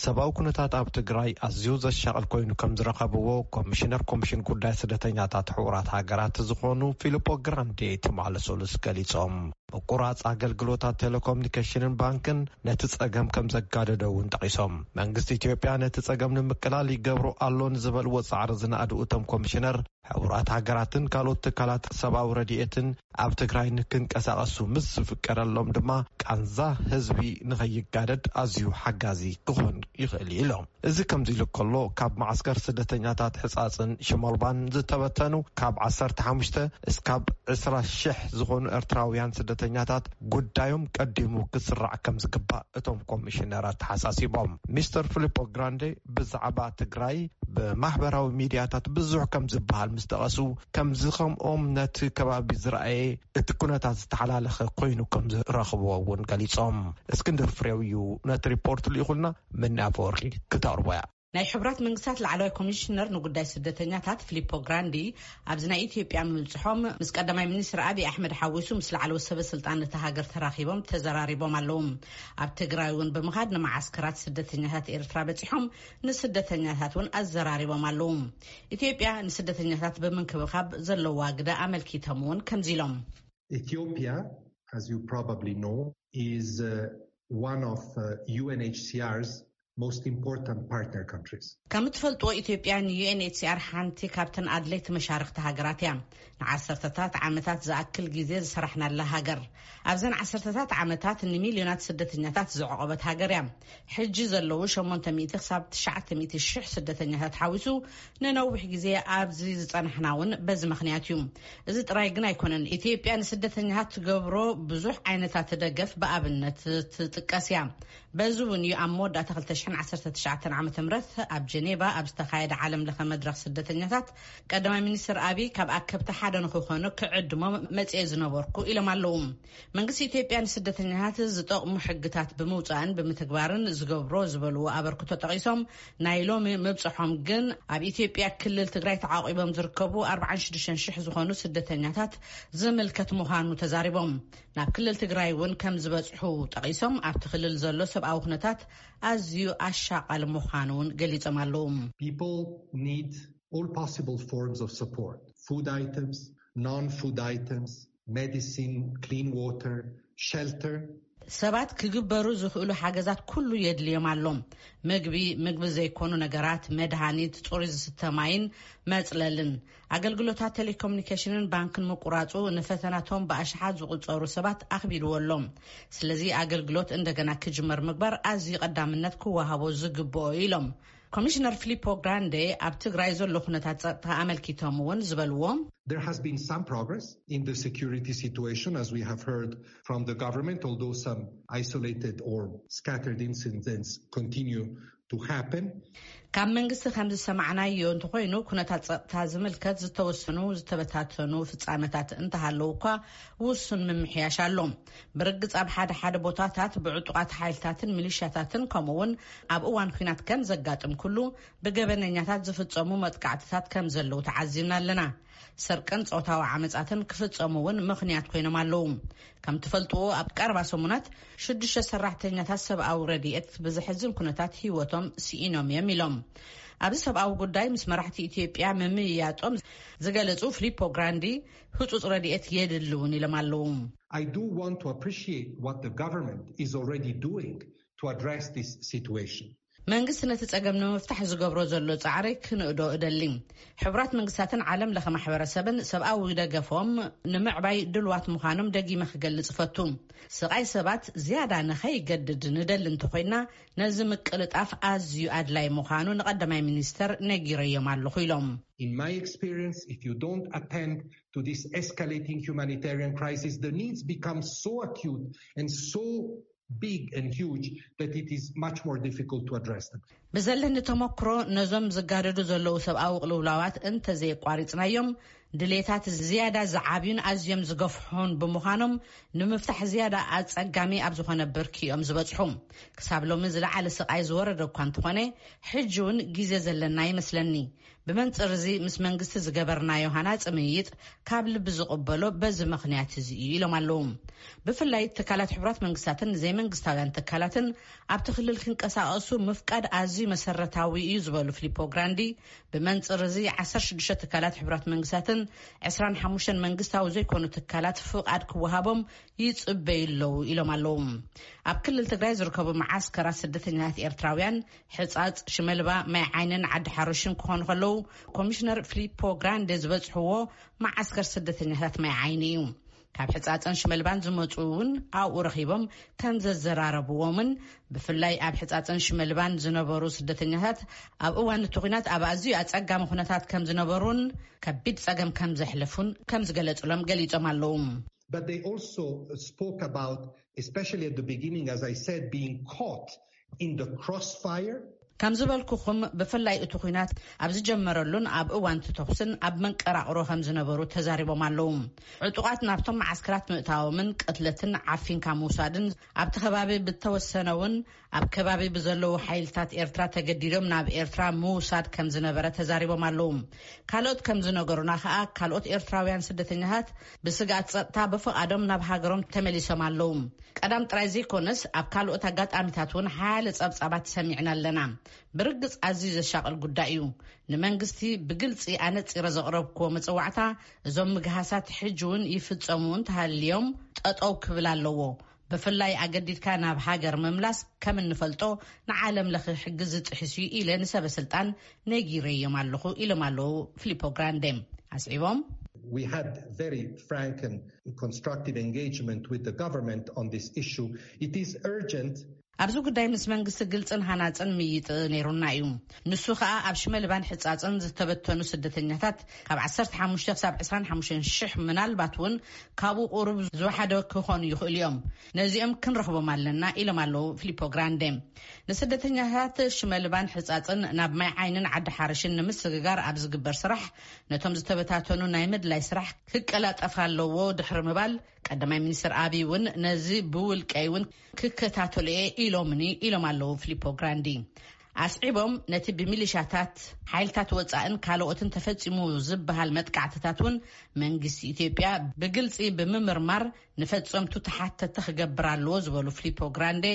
ሰብኣዊ ኩነታት ኣብ ትግራይ ኣዝዩ ዘሻቕል ኮይኑ ከም ዝረኸብዎ ኮሚሽነር ኮሚሽን ጉዳይ ስደተኛታት ሕቡራት ሃገራት ዝኾኑ ፊሊፖ ግራንዴ ትማሊ ሰሉስ ገሊጾም። ምቁራጽ ኣገልግሎታት ቴሌኮሙኒኬሽንን ባንክን ነቲ ጸገም ከም ዘጋደዶ እውን ጠቒሶም። መንግስቲ ኢትዮጵያ ነቲ ጸገም ንምቅላል ይገብሮ ኣሎ ንዝበልዎ ጻዕሪ ዝነኣዱ እቶም ኮሚሽነር፣ ሕቡራት ሃገራትን ካልኦት ትካላት ሰብኣዊ ረድኤትን ኣብ ትግራይ ንክንቀሳቐሱ ምስ ዝፍቀደሎም ድማ ቃንዛ ህዝቢ ንኸይጋደድ ኣዝዩ ሓጋዚ ክኾን ይኽእል እዩ ኢሎም። እዚ ከምዚ ኢሉ ከሎ፣ ካብ መዓስከር ስደተኛታት ሕጻጽን ሽመልባን ዝተበተኑ ካብ ዓሰርተ ሓሙሽተ እስካብ ዕስራ ሽሕ ዝኾኑ ኤርትራውያን ስደተኛታት ጉዳዮም ቀዲሙ ክስራዕ ከም ዝግባእ እቶም ኮሚሽነር ኣተሓሳሲቦም። ሚስተር ፊሊፖ ግራንዴ ብዛዕባ ትግራይ ብማሕበራዊ ሚድያታት ብዙሕ ከም ዝበሃል ምስ ጠቐሱ፣ ከምዚ ከምኦም ነቲ ከባቢ ዝረኣየ እቲ ኩነታት ዝተሓላለኸ ኮይኑ ከም ዝረኽብዎ እውን ገሊጾም። እስክንድር ፍሬው እዩ ነቲ ሪፖርት ልኢኹልና፣ መኒ ኣፈወርቂ ክተቕርቦ እያ። ናይ ሕቡራት መንግስታት ላዕለዋይ ኮሚሽነር ንጉዳይ ስደተኛታት ፊሊፖ ግራንዲ ኣብዚ ናይ ኢትዮጵያ ምብጽሖም፣ ምስ ቀዳማይ ሚኒስትር ኣብይ ኣሕመድ ሓዊሱ ምስ ላዕለዎት ሰበ ስልጣን እታ ሃገር ተራኺቦም ተዘራሪቦም ኣለዉ። ኣብ ትግራይ እውን ብምኻድ ንመዓስከራት ስደተኛታት ኤርትራ በጺሖም ንስደተኛታት እውን ኣዘራሪቦም ኣለዉ። ኢትዮጵያ ንስደተኛታት ብምንክብኻብ ዘለዋ ግደ ኣመልኪቶም እውን ከምዚ ኢሎም። Ethiopia, as you probably know, is uh, one of uh, U N H C R's most important partner countries. ከም እትፈልጥዎ፣ ኢትዮጵያ ን U N H C R ሓንቲ ካብተን ኣድለይቲ መሻርኽቲ ሃገራት እያ። ንዓሰርተታት ዓመታት ዝኣክል ግዜ ዝሰራሕናላ ሃገር፣ ኣብዘን ዓሰርተታት ዓመታት ንሚልዮናት ስደተኛታት ዘዕቆበት ሃገር እያ። ሕጂ ዘለዉ ሸሞንተ ሚእቲ ክሳብ ትሽዓተ ሚእቲ ሽሕ ስደተኛታት ሓዊሱ ንነዊሕ ግዜ ኣብዚ ዝጸናሕና እውን በዚ ምኽንያት እዩ። እዚ ጥራይ ግን ኣይኮነን። ኢትዮጵያ ንስደተኛታት ትገብሮ ብዙሕ ዓይነታት ደገፍ ብኣብነት ትጥቀስ እያ። በዚ እውን እዩ ኣብ መወዳእታ ክልተ ሽሕን ዓሰርተ ትሽዓተን ዓመተ ምህረት ኣብ ጀኔቫ ኣብ ዝተኻየደ ዓለም ለኸ መድረኽ ስደተኛታት፣ ቀዳማይ ሚኒስትር ኣብይ ካብ ኣከብቲ ሓደ ንክኾኑ ክዕድሞም መጽኤ ዝነበርኩ ኢሎም ኣለዉ። መንግስቲ ኢትዮጵያ ንስደተኛታት ዝጠቕሙ ሕግታት ብምውጻእን ብምትግባርን ዝገብሮ ዝበልዎ ኣበርክቶ ጠቒሶም፣ ናይ ሎሚ ምብጽሖም ግን ኣብ ኢትዮጵያ ክልል ትግራይ ተዓቂቦም ዝርከቡ ኣርባዓን ሽዱሽተን ሽሕ ዝኾኑ ስደተኛታት ዝምልከት ምዃኑ ተዛሪቦም። ናብ ክልል ትግራይ እውን ከም ዝበጽሑ ጠቒሶም፣ ኣብቲ ክልል ዘሎ ሰብኣዊ ኩነታት ኣዝዩ ኣሻቓሊ ምዃኑ እውን ገሊጾም ኣለዉ። People need all possible forms of support: food items, non-food items, medicine, clean water, shelter. ሰባት ክግበሩ ዝኽእሉ ሓገዛት ኩሉ የድልዮም ኣሎ። ምግቢ፣ ምግቢ ዘይኮኑ ነገራት፣ መድሃኒት፣ ጽሩይ ዝስተ ማይን መጽለልን። ኣገልግሎታት ቴሌኮሙኒኬሽንን ባንክን ምቁራጹ ንፈተናቶም ብኣሽሓት ዝቑጸሩ ሰባት ኣኽቢድዎ ኣሎ። ስለዚ ኣገልግሎት እንደገና ክጅመር ምግባር ኣዝዩ ቀዳምነት ክወሃቦ ዝግብኦ ኢሎም። ኮሚሽነር ፊሊፖ ግራንዴ ኣብ ትግራይ ዘሎ ኩነታት ጸጥታ ኣመልኪቶም እውን ዝበልዎ፣ There has been some progress in the security situation, as we have heard from the government, although some isolated or scattered incidents continue to happen. ካብ መንግስቲ ከም ዝሰማዕናዮ እንተኾይኑ፣ ኩነታት ጸጥታ ዝምልከት ዝተወሰኑ ዝተበታተኑ ፍጻመታት እንተሃለዉ እኳ፣ ውሱን ምምሕያሽ ኣሎ። ብርግጽ ኣብ ሓደ ሓደ ቦታታት ብዕጡቓት ሓይልታትን ሚሊሻታትን ከምኡ እውን ኣብ እዋን ኲናት ከም ዘጋጥም ኩሉ ብገበነኛታት ዝፍጸሙ መጥቃዕትታት ከም ዘለዉ ተዓዚብና ኣለና። ስርቅን ጾታዊ ዓመጻትን ክፍጸሙ እውን ምኽንያት ኮይኖም ኣለዉ። ከም ትፈልጥዎ ኣብ ቀረባ ሰሙናት ሽዱሽተ ሰራሕተኛታት ሰብኣዊ ረድኤት ብዘሕዝን ኩነታት ህይወቶም ስኢኖም እዮም ኢሎም። ኣብዚ ሰብኣዊ ጉዳይ ምስ መራሕቲ ኢትዮጵያ ምምይያጦም ዝገለጹ ፊሊፖ ግራንዲ፣ ህጹጽ ረድኤት የድሊ እውን ኢሎም ኣለዉ። I do want to appreciate what the government is already doing to address this situation. መንግስቲ ነቲ ጸገም ንምፍታሕ ዝገብሮ ዘሎ ጻዕሪ ክንእዶ እደሊ። ሕቡራት መንግስታትን ዓለም ለኸ ማሕበረሰብን ሰብኣዊ ደገፎም ንምዕባይ ድልዋት ምዃኖም ደጊመ ክገልጽ እፈቱ። ስቓይ ሰባት ዝያዳ ንኸይገድድ ንደሊ እንተኾይና፣ ነዚ ምቅልጣፍ ኣዝዩ ኣድላይ ምዃኑ ንቐዳማይ ሚኒስተር ነጊረዮም ኣለኹ ኢሎም። In my experience, if you don't attend to this escalating humanitarian crisis, the needs become so acute and so big and huge that it is much more difficult to address them. ብዘለኒ ተመክሮ፣ ነዞም ዝጋደዱ ዘለዉ ሰብኣዊ ቅልውላዋት እንተዘየቋሪጽናዮም፣ ድሌታት ዝያዳ ዝዓብዩን ኣዝዮም ዝገፍሑን ብምዃኖም፣ ንምፍታሕ ዝያዳ ኣጸጋሚ ኣብ ዝኾነ ብርኪ እዮም ዝበጽሑ። ክሳብ ሎሚ ዝለዓለ ስቓይ ዝወረደ እኳ እንተኾነ፣ ሕጂ እውን ግዜ ዘለና ይመስለኒ። ብመንጽር እዚ ምስ መንግስቲ ዝገበርናዮ ሃናጺ ምይይጥ ካብ ልቢ ዝቕበሎ በዚ ምኽንያት እዚ እዩ ኢሎም ኣለዉ። ብፍላይ ትካላት ሕቡራት መንግስታትን ዘይመንግስታውያን ትካላትን ኣብቲ ክልል ክንቀሳቐሱ ምፍቃድ ኣዝዩ መሰረታዊ እዩ ዝበሉ ፊሊፖ ግራንዲ፣ ብመንጽር እዚ ዓሰርተ ሽዱሽተ ትካላት ሕቡራት መንግስታትን ዕስራን ሓሙሽተን መንግስታዊ ዘይኮኑ ትካላት ፍቓድ ክወሃቦም ይጽበዩ ኣለዉ ኢሎም ኣለዉ። ኣብ ክልል ትግራይ ዝርከቡ መዓስከራት ስደተኛታት ኤርትራውያን ሕጻጽ፣ ሽመልባ፣ ማይ ዓይንን ዓዲ ሓሩሽን ክኾኑ ከለዉ፣ ኮሚሽነር ፊሊፖ ግራንዴ ዝበጽሕዎ መዓስከር ስደተኛታት ማይ ዓይኒ እዩ። ካብ ሕጻጽን ሽመልባን ዝመጹ እውን ኣብኡ ረኺቦም ከም ዘዘራረብዎምን፣ ብፍላይ ኣብ ሕጻጽን ሽመልባን ዝነበሩ ስደተኛታት ኣብ እዋን እቲ ኲናት ኣብ ኣዝዩ ኣጸጋሚ ኩነታት ከም ዝነበሩን ከቢድ ጸገም ከም ዘሕለፉን ከም ዝገለጹሎም ገሊጾም ኣለዉ። But they also spoke about, especially at the beginning, as I said, being caught in the crossfire. ከም ዝበልኩኹም፣ ብፍላይ እቲ ኲናት ኣብ ዝጀመረሉን ኣብ እዋን እቲ ተኹስን ኣብ መንቀራቕሮ ከም ዝነበሩ ተዛሪቦም ኣለዉ። ዕጡቓት ናብቶም መዓስከራት ምእታዎምን ቅትለትን ዓፊንካ ምውሳድን ኣብቲ ከባቢ ብተወሰነ እውን ኣብ ከባቢ ብዘለዉ ሓይልታት ኤርትራ ተገዲዶም ናብ ኤርትራ ምውሳድ ከም ዝነበረ ተዛሪቦም ኣለዉ። ካልኦት ከም ዝነገሩና ከኣ፣ ካልኦት ኤርትራውያን ስደተኛታት ብስግኣት ጸጥታ ብፍቓዶም ናብ ሃገሮም ተመሊሶም ኣለዉ። ቀዳም ጥራይ ዘይኮነስ፣ ኣብ ካልኦት ኣጋጣሚታት እውን ሓያለ ጸብጻባት ሰሚዕና ኣለና። ብርግጽ ኣዝዩ ዘሻቕል ጉዳይ እዩ። ንመንግስቲ ብግልጺ ኣነጺረ ዘቕረብክዎ መጽዋዕታ፣ እዞም ምግሃሳት ሕጂ እውን ይፍጸሙ እንተሃልዮም ጠጠው ክብል ኣለዎ። ብፍላይ ኣገዲድካ ናብ ሃገር ምምላስ ከም እንፈልጦ ንዓለም ለኸ ሕጊ ዝጥሕስ እዩ ኢለ ንሰበ ስልጣን ነጊረዮም ኣለኹ ኢሎም ኣለዉ ፊሊፖ ግራንዴ። ኣስዒቦም We had very frank and constructive engagement with the government on this issue. It is urgent. ኣብዚ ጉዳይ ምስ መንግስቲ ግልጽን ሃናጽን ምይጥ ነይሩና እዩ። ንሱ ከኣ ኣብ ሽመልባን ሕጻጽን ዝተበተኑ ስደተኛታት ካብ ዓሰርተ ሓሙሽተ ክሳብ ዕስራን ሓሙሽተን ሽሕ፣ ምናልባት እውን ካብኡ ቁሩብ ዝወሓደ ክኾኑ ይኽእሉ እዮም። ነዚኦም ክንረኽቦም ኣለና ኢሎም ኣለዉ ፊሊፖ ግራንዴ። ንስደተኛታት ሽመልባን ሕጻጽን ናብ ማይ ዓይንን ዓዲ ሓርሽን ንምስግጋር ኣብ ዝግበር ስራሕ፣ ነቶም ዝተበታተኑ ናይ ምድላይ ስራሕ ክቀላጠፍ ኣለዎ ድሕሪ ምባል፣ ቀዳማይ ሚኒስትር ኣቢይ እውን ነዚ ብውልቀይ እውን ክከታተሉ እየ ኢሎምኒ ኢሎም ኣለዉ ፊሊፖ ግራንዲ። ኣስዒቦም፣ ነቲ ብሚሊሻታት፣ ሓይልታት ወጻእን ካልኦትን ተፈጺሙ ዝበሃል መጥቃዕትታት እውን መንግስቲ ኢትዮጵያ ብግልጺ ብምምርማር ንፈጸምቱ ተሓተቲ ክገብር ኣለዎ ዝበሉ ፊሊፖ ግራንዴ፣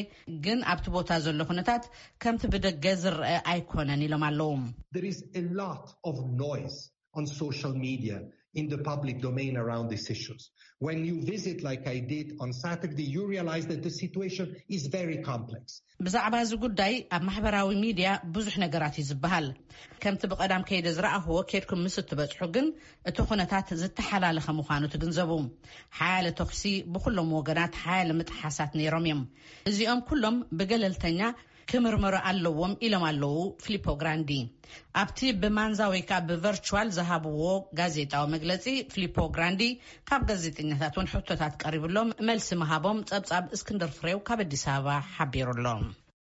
ግን ኣብቲ ቦታ ዘሎ ኩነታት ከምቲ ብደገ ዝረአ ኣይኮነን ኢሎም ኣለዉ። There is a lot of noise on social media in the public domain around these issues. When you visit, like I did on Saturday, you realize that the situation is very complex. ብዛዕባ እዚ ጉዳይ ኣብ ማሕበራዊ ሚድያ ብዙሕ ነገራት እዩ ዝበሃል። ከምቲ ብቐዳም ከይደ ዝረኣኽዎ፣ ኬድኩም ምስ እትበጽሑ ግን እቲ ኩነታት ዝተሓላለኸ ምዃኑ ትግንዘቡ። ሓያለ ተኹሲ፣ ብኹሎም ወገናት ሓያለ ምጥሓሳት ነይሮም እዮም። እዚኦም ኩሎም ብገለልተኛ ክምርመሩ ኣለዎም ኢሎም ኣለዉ ፊሊፖ ግራንዲ። ኣብቲ ብማንዛ ወይ ከዓ ብቨርቹዋል ዝሃብዎ ጋዜጣዊ መግለጺ፣ ፊሊፖ ግራንዲ ካብ ጋዜጠኛታት እውን ሕቶታት ቀሪብሎም መልሲ ምሃቦም ጸብጻብ እስክንድር ፍሬው ካብ ኣዲስ ኣበባ ሓቢሩ ኣሎ።